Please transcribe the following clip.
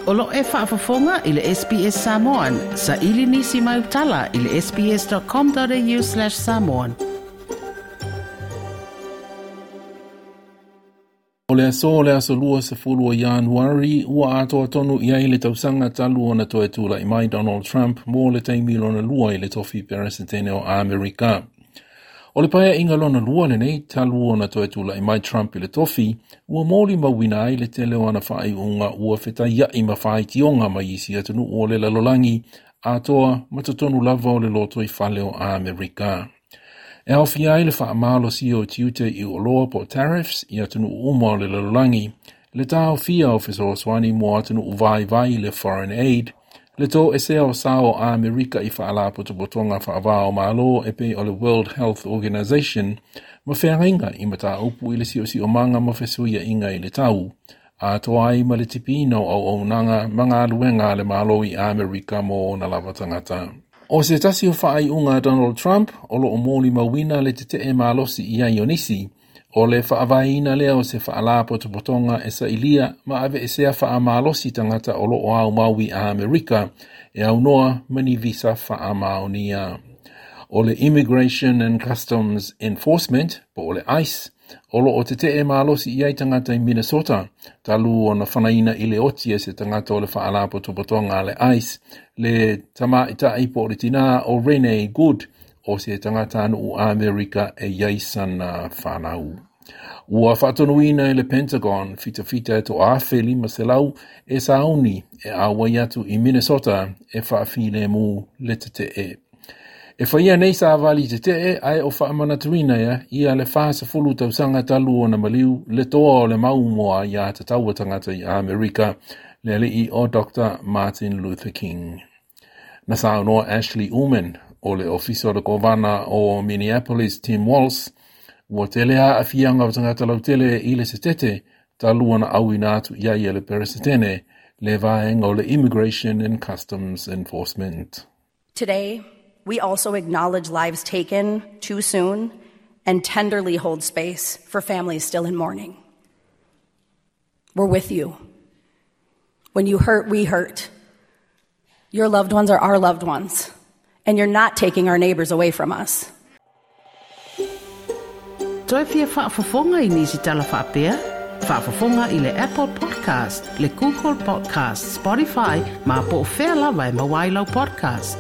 O lo o e faafofoga i le SBS Samoan, saili nisi mau tala i le sbs.com.au/samoan. O le aso o le aso 20 o Ianuari, ua atoa tonu i ai le tausaga talu ona toe tulai mai Donald Trump mo le taimi lona lua i le tofi Peresetene o Amerika. O le paeaiga lona lua lenei talu ona toe tulai mai Trump i le tofi, ua molimauina ai le tele o ana faaiuga ua fetaia'i ma faitioga mai isi atunuu o le lalolagi atoa ma totonu lava o le lotoifale o Amerika. E aofia ai le faamalosia o tiute i oloa po o tariffs i atunuu uma o le lalolagi, le taofia o fesoasoani mo atunuu vaivai le foreign aid, le toesea o sao o Amerika i faalapotopotoga faava o Malo e pei o le World Health Organization ma feagaiga i mataupu i le siosiomaga ma fesuiaiga i le tau, atoa ai ma le tipiina o auaunaga ma galuega a le Malo i Amerika mo ona lava tagata. O se tasi o faaiuga a Donald Trump o lo o molimauina le tetee malosi i ai o nisi, o le faavaeina lea o se faalapotopotoga e sailia ma aveesea faamalosi tagata o lo o aumau i Amerika e aunoa ma ni visa faamaonia. O le Immigration and Customs Enforcement, po o le ICE, o lo o tetee malosi i ai tagata i Minnesota, talu ona fanaina i le oti e se tagata o le faalapotopotoga a le ICE, le tamaitai po o le tinā o Renee Good, o se tagatanuu Amerika e i ai sana fanau. Ua faatonuina e le Pentagon fitafita e 1500 e sauni e auai atu i Minnesota e faafilemu le tetee. E faia nei savali tetee ae o faamanatuina ia ia le 40 tausaga talu ona maliu le toa o le mau mo aiatatau a tagata i Amerika, le alii o Dr. Martin Luther King. Na saunoa Ashley Ullman o le ofisa o le kovana o Minneapolis Tim Walz, ua tele aafiaga o tagata lautele i le setete talu ona auina atu i ai e le Peresetene le vaega o le Immigration and Customs Enforcement. Today, we also acknowledge lives taken too soon and tenderly hold space for families still in mourning. We're with you. When you hurt, we hurt. Your loved ones are our loved ones, and you're not taking our neighbors away from us. Toe fia faafofoga i nisi tala faapea? Faafofoga i le Apple Podcast, le Google Podcast, Spotify, ma po o fea lava e maua ai lau podcast.